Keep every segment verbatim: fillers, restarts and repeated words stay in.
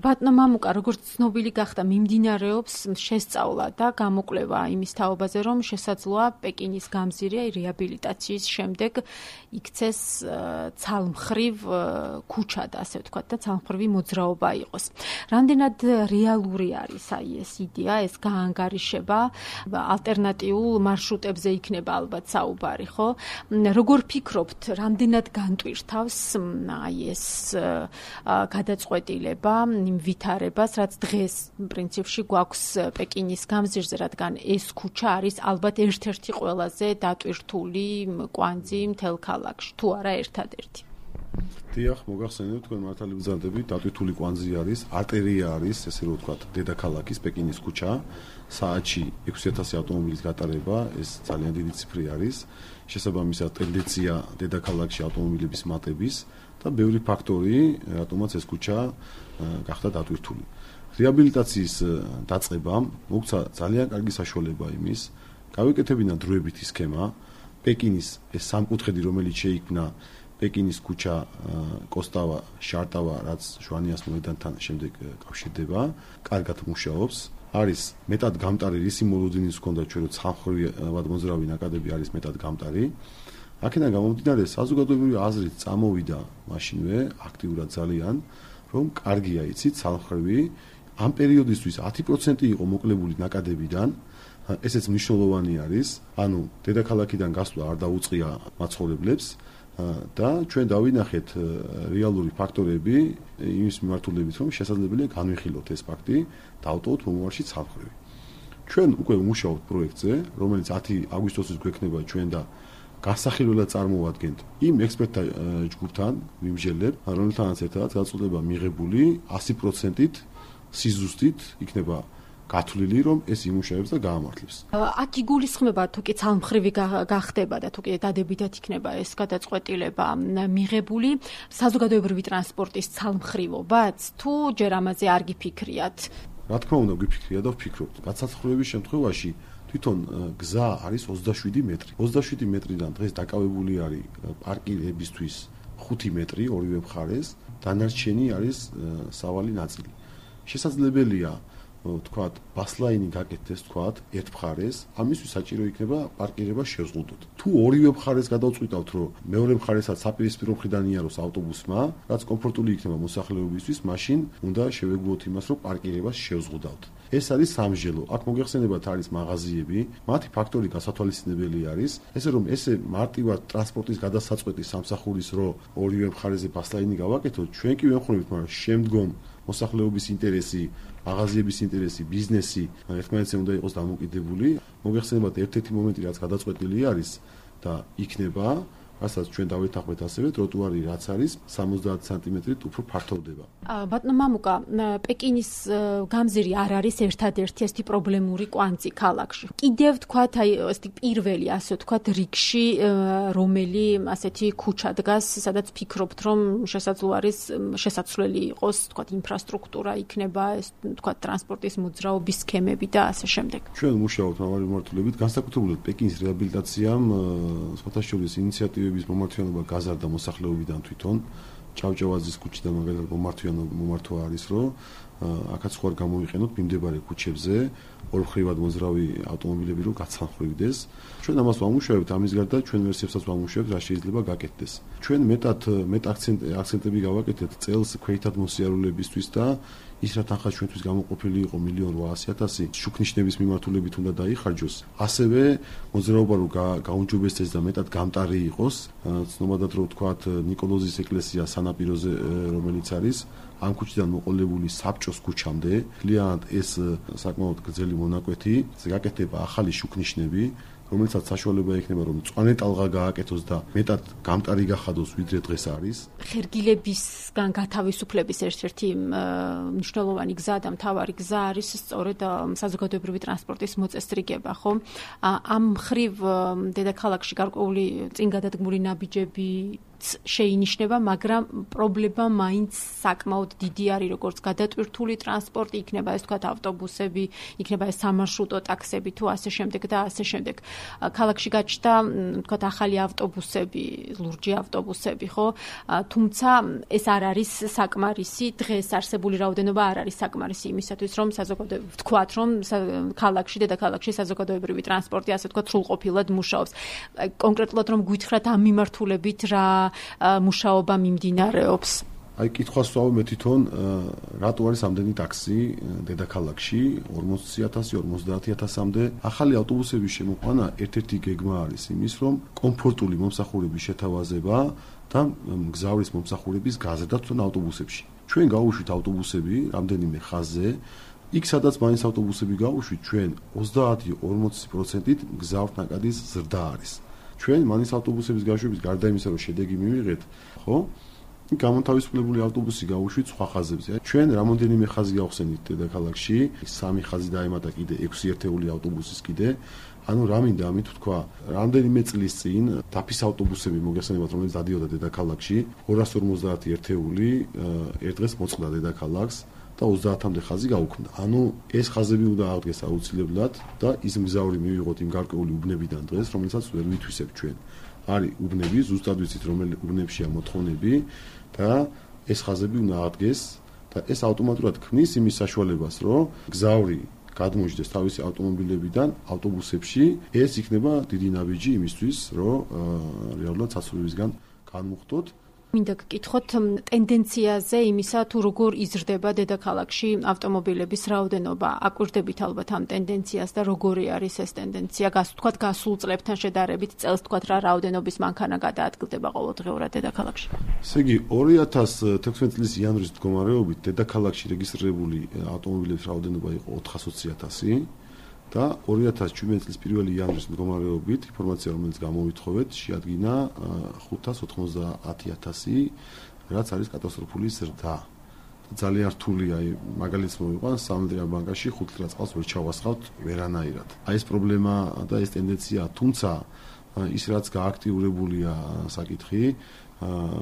ბატონო მამუკა, როგორც ცნობილი გახდა, მიმდინარეობს შესწავლა და გამოკვლევა იმის თაობაზე, რომ შესაძლოა პეკინის გამზირი რეაბილიტაციის შემდეგ იქცეს ცალმხრივ ქუჩად, ასე ვთქვათ, და ცალმხრივი მოძრაობა იყოს. რამდენად რეალური არის აი ეს იდეა, ეს გაანგარიშება, ალტერნატიულ მარშრუტებზე იქნება ალბათ საუბარი, ხო? როგორ ფიქრობთ, რამდენად განტვირთავს აი ეს გადაწყვეტილება, იმ ვითარებას, რაც დღეს პრინციპში გვაქვს პეკინის გამზირზე, რადგან ეს ქუჩა არის ალბათ ერთ-ერთი ყველაზე დატვირთული კვანძი მთელ ქალაქში, თუ არა ერთადერთი. დიახ, მოგახსენებთ, თქვენ მართალი ბრძანდებით, დატვირთული კვანძი არის, არტერია არის, ესე რომ ვთქვათ, დედაქალაქის პეკინის ქუჩა, საათში ექვსი ათასი ავტომობილის გატარება, ეს ძალიან დიდი ციფრი არის. შესაბამისად, ტენდენცია დედაქალაქში ავტომობილების მატების და ბევრი ფაქტორი, რატომაც ეს ქუჩა გახდა დატვირთული. რეაბილიტაციის დაწყებამ მოგცა ძალიან კარგი საშუალება იმის, გავეკეთებინა დროებითი სქემა, პეკინის ეს სამკუთხედი, რომელიც შეიქმნა პეკინის ქუჩა, კოსტავა, შარტავა, რაც ჟვანიას მოედანთან შემდეგ კავშირდება, კარგად მუშაობს. არის მეტად გამტარი რისი მოლოდინის ჰქონდა ჩვენ რომ ცალმხრივად მოძრავი ნაკადები არის მეტად გამტარი. აქედან გამომდინარე საზოგადოებრივი აზრით წამოვიდა მაშინვე აქტიურად ძალიან, რომ კარგია იცით ცალმხრივი ამ პერიოდისთვის ათი პროცენტი იყო მოკლებული ნაკადებიდან. ესეც მნიშვნელოვანი არის, ანუ დედაქალაქიდან გასვლა არ დაუწყია მაცხოვრებლებს და ჩვენ დავინახეთ რეალური ფაქტორები იმის მიმართულებით, რომ შესაძლებელია განვიხილოთ ეს ფაქტი და ავტოვოთ მომავალში ცალმხრივი. ჩვენ უკვე ვმუშაობთ პროექტზე, რომელიც ათი აგვისტოსის გვექნება ჩვენ და გასახილველად წარმოვადგენთ იმ ექსპერტთა ჯგუფთან, ვიმსჯელებ, რომელთანაც ერთად გაწყვეტილება მიღებული ათი პროცენტით სიზუსტით იქნება გათვლილი, რომ ეს იმუშავებს და გაამართლებს. აქ იგულისხმება თუ კი ცალმხრივი გახდება და თუ კი დადებითად იქნება ეს გადაწყვეტილება მიღებული საზოგადოებრივი ტრანსპორტის ცალმხრივობაც, თუ ჯერ ამაზე არ გიფიქრიათ? რა თქმა უნდა, გიფიქრია და ვფიქრობთ. გაცალმხრივების შემთხვევაში თვითონ გზა არის ოცდაშვიდი მეტრი. ოცდაშვიდი მეტრიდან დღეს დაკავებული არის პარკირებისთვის ხუთი მეტრი ორივე მხარეს, დანარჩენი არის სავალი ნაწილი. შესაძლებელია ვთქვათ, ბასლაინი გაკეთდეს, ვთქვათ, ერთ მხარეს, ამისთვის საჭირო იქნება პარკირება შეზღუდოთ. თუ ორივე მხარეს გადავწყვიტავთ, რომ მეორე მხარესაც საპირისპირო მხრიდან იაროს ავტობუსმა, რაც კომფორტული იქნება მოსახლეობისთვის, მაშინ უნდა შევეგუოთ იმას, რომ პარკირებას შევზღუდავთ. ეს არის სამსჯელო. აქ მოგეხსენებათ არის მაღაზიები, მათი ფაქტორი გასათვალისწინებელი არის, ესე რომ ესე მარტივად ტრანსპორტის გადასაწყვეტი სამსახურის რო ორივე მხარეზე ბასლაინი გავაკეთოთ, ჩვენ კი ვემხრობთ, მაგრამ შემდგომ მოსახლეობის ინტერესი, მაღაზიების ინტერესი, ბიზნესი ერთმანეთზე უნდა იყოს დამოკიდებული. მოგეხსენებათ ერთ-ერთი მომენტი, რაც გადაწყვეტილი არის და იქნება, რასაც ჩვენ დავეთანხმეთ ასევე ტროტუარი რაც არის სამოცდაათი სანტიმეტრით უფრო ფართოვდება. ბატონო მამუკა, პეკინის გამზირი არ არის ერთადერთი ესეთი პრობლემური კვანძი ქალაქში. კიდევ ვთქვათ, აი ესეთი პირველი, ასე ვთქვათ, რიგში რომელი ასეთი ქუჩა დგას, სადაც ფიქრობთ, რომ შესაძლოა არის შესაძლებელი იყოს, ვთქვათ, ინფრასტრუქტურა იქნება, ეს ვთქვათ, ტრანსპორტის მოძრაობის სქემები და ასე შემდეგ. ჩვენ მუშაობთ მრავალი მიმართულებით, განსაკუთრებულად პეკინის რეაბილიტაციამ სხვათა შორის ინიციატივების მომართვიანობა გაზარდა მოსახლეობიდან თვითონ. ჭავჭავაძის ქუჩიდან მაგალითად მომართვა არის, რომ აქაც ხوار გამოიყენოთ მიმდებარე ქუჩებზე ორმხრივად მოძრავი ავტომობილები რომ გაცალმხრივდეს. ჩვენ ამას ვამუშავებთ, ამის გარდა ჩვენ ვერსიებსაც ვამუშავებთ, რა შეიძლება გაკეთდეს. ჩვენ მეტად მეტ აქცენტები გავაკეთეთ წელს ქვეითად მოსიარულეებისთვის და ის რა თანხა ჩვენთვის გამოყოფილი იყო მილიონ რვაასი ათასი შუქნიშნების მიმართულებით უნდა დაიხარჯოს. ასევე მოძრაობა რომ გაუნჯობესდეს და მეტად გამტარი იყოს, ცნობადად რომ ვთქვათ ნიკოლოზის ეკლესია სანაპიროზე რომელიც არის ამ ქუჩიდან მოყოლებული საბჭოს ქუჩამდე, ძალიან ეს საკმაოდ გრძელი მონაკვეთი, გაკეთდება ახალი შუქნიშნები, რომელსაც საშუალება ექნება რომ მწვანე ტალღა გააკეთოს და მეტად გამტარი გახადოს ვიდრე დღეს არის. ხერგილებისგან გათავისუფლების ერთ-ერთი მნიშვნელოვანი გზა და მთავარი გზა არის სწორედ საზოგადოებრივი ტრანსპორტის მოწესრიგება, ხო? ამ მხრივ დედაქალაქში გარკვეული წინ გადადგმული ნაბიჯები შეინიშნება, მაგრამ პრობლემა მაინც საკმაოდ დიდი არის, როგორც გადატვირთული ტრანსპორტი, იქნება ეს თქვათ ავტობუსები, იქნება ეს სამარშრუტო ტაქსები თუ ასე შემდეგ და ასე შემდეგ. ქალაქში გაჩნდა თქვათ ახალი ავტობუსები, ლურჯი ავტობუსები, ხო? თუმცა ეს არ არის საკმარისი, დღეს არსებული რაოდენობა არ არის საკმარისი იმისათვის, რომ საზოგადოება ვთქვათ, რომ ქალაქში, დედაქალაქში საზოგადოებრივი ტრანსპორტი ასე ვთქვათ სრულყოფილად მუშაობს. კონკრეტულად რომ გვითხრათ ამ მიმართულებით რა მუშაობა მიმდინარეობს? აი კითხვას ვსვავ მე თვითონ რატო არის ამდენი ტაქსი დედაქალაქში ორმოცი ათასი ორმოცდაათი ათასამდე ახალი ავტობუსების შემოყვანა ერთ-ერთი გეგმა არის იმის რომ კომფორტული მომსახურების შეთავაზება და მგზავრის მომსახურების გაზრდა თვითონ ავტობუსებში. ჩვენ გავუშვით ავტობუსები რამდენიმე ხაზზე იქ სადაც მაინც ავტობუსები გავუშვით ჩვენ ოცდაათი ორმოცი პროცენტით მგზავრთა ნაკადის ზრდა არის. ჩვენ მაინც ავტობუსების გაშვების გარდა იმისა რომ შედეგი მივიღეთ, ხო? გამონთავისუფლებული ავტობუსი გავუშვით სხვა ხაზებზე. ჩვენ რამოდენიმე ხაზი გავხსენით დედაქალაქში, სამი ხაზი დაემატა კიდე ექვსი ერთეული ავტობუსის კიდე. ანუ რა მინდა ამით ვთქვა, რამდენიმე წლის წინ დაფის ავტობუსები მოგესალმებათ, რომელიც დადიოდა დედაქალაქში, ორას ორმოცდაათი ერთეული ერთ დღეს მოწყდა დედაქალაქს და ოცდაათამდე ხაზი გაუქმდა. ანუ ეს ხაზები უნდა აღდგეს აუცილებლად და ის მგზავრი მივიღოთ იმ გარკვეული უბნებიდან დღეს, რომელსაც ვერ ვითვისებ ჩვენ. არის უბნები, ზუსტად ვიცით რომელი უბნებშია მოთხოვნები და ეს ხაზები უნდა აღდგეს და ეს ავტომატურად ქმნის იმის საშუალებას, რომ მგზავრი გადმოიჯდეს თავისი ავტომობილებიდან ავტობუსებში, ეს იქნება დიდი ნაბიჯი იმისთვის, რომ რეალურად საცხოვრებისგან განმუხტოთ. მინდა გკითხოთ ტენდენციაზე იმისა, თუ როგორ იზრდება დედაქალაქში ავტომობილების რაოდენობა. აკვირდებით ალბათ ამ ტენდენციას და როგორი არის ეს ტენდენცია, გასვთქვათ გასულ წლებთან შედარებით, წელს თქვათ რა რაოდენობის მანქანა გადაადგილდება ყოველდღიურად დედაქალაქში. ესე იგი, ორი ათას თექვსმეტი წლის იანვრის მდგომარეობით დედაქალაქში რეგისტრირებული ავტომობილების რაოდენობა იყო ოთხას ოცი ათასი და ორი ათას ჩვიდმეტი წლის პირველი იანვრის მდგომარეობით ინფორმაცია, რომელიც გამოვითხოვეთ, შეადგინა ხუთას ოთხმოცდაათი ათასი, რაც არის კატასტროფული ზრდა. ძალიან რთული, აი მაგალითს მოვიყვან, სამედრიან ბანკაში ხუთ ლიტრად წყალს ვერ ჩავასხავთ ვერანაირად. აი ეს პრობლემა და ეს ტენდენცია, თუმცა ის რაც გააქტიურებულია საკითხი,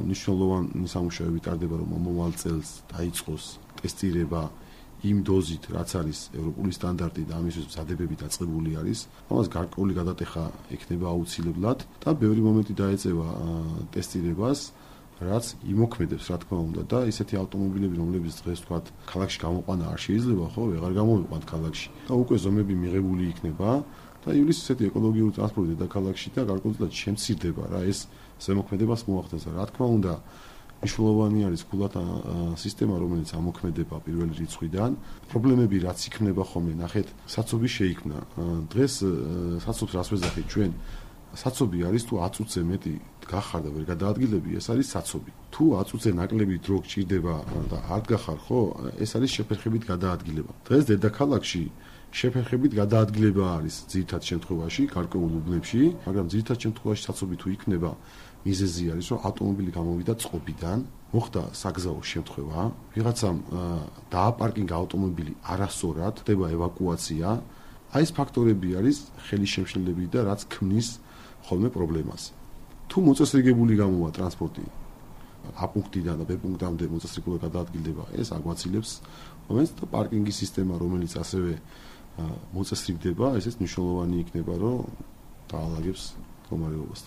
მნიშვნელოვანი სამუშაოები ტარდება, რომ მომავალ წელს დაიწყოს ტესტირება იმ დოზით, რაც არის ევროპული სტანდარტი და ამისთვის მზადებები დაწყებული არის. ამას გარკვეული გადატეხა ექნება აუცილებლად და ბევრი მომენტი დაეწევა ტესტირებას, რაც იმოქმედებს, რა თქმა უნდა, და ისეთი ავტომობილები, რომლებიც დღეს თქვათ, ქალაქში გამოყვანა არ შეიძლება, ხო, ვეღარ გამოვიყვანთ ქალაქში. და უკვე ზომები მიღებული იქნება და იulis ისეთი ეკოლოგიური ტრანსპორტი დედაქალაქში და გარკვეულად შემცირდება რა ეს ზემოქმედებას მოახდენს. რა თქმა უნდა, მნიშვნელოვანი არის გულათა სისტემა, რომელიც ამოქმედება პირველი რიცხვიდან. პრობლემები რაც იქნება ხოლმე, ნახეთ, საცობი შეიქმნა. დღეს საცობს რას ვეძახით ჩვენ? საცობი არის თუ ათ წუთზე მეტი გახარ და ვერ გადაადგილები, ეს არის საცობი. თუ ათ წუთზე ნაკლები დრო გჭირდება და არ გახარ, ხო, ეს არის შეფერხებით გადაადგილება. დღეს დედაქალაქში შეფერხებით გადაადგილება არის ძირითად შემთხვევაში, გარკვეულ უბნებში, მაგრამ ძირითად შემთხვევაში საცობი თუ იქნება, მიზეზი არის, რომ ავტომობილი გამოვიდა წყობიდან, მოხდა საგზაო შემთხვევა, ვიღაცამ დააპარკინგა ავტომობილი არასწორად, ხდება ევაკუაცია. აი ეს ფაქტორები არის ხელისშემშლელები და რაც ქმნის ხოლმე პრობლემას. თუ მოწესრიგებული გამოვა ტრანსპორტი A პუნქტიდან და B პუნქტამდე მოწესრიგებულად გადაადგილდება, ეს აგვაცილებს მომენტს და პარკინგის სისტემა, რომელიც ასევე მოწესრიგდება, ესეც მნიშვნელოვანი იქნება, რომ დაალაგებს მდგომარეობას.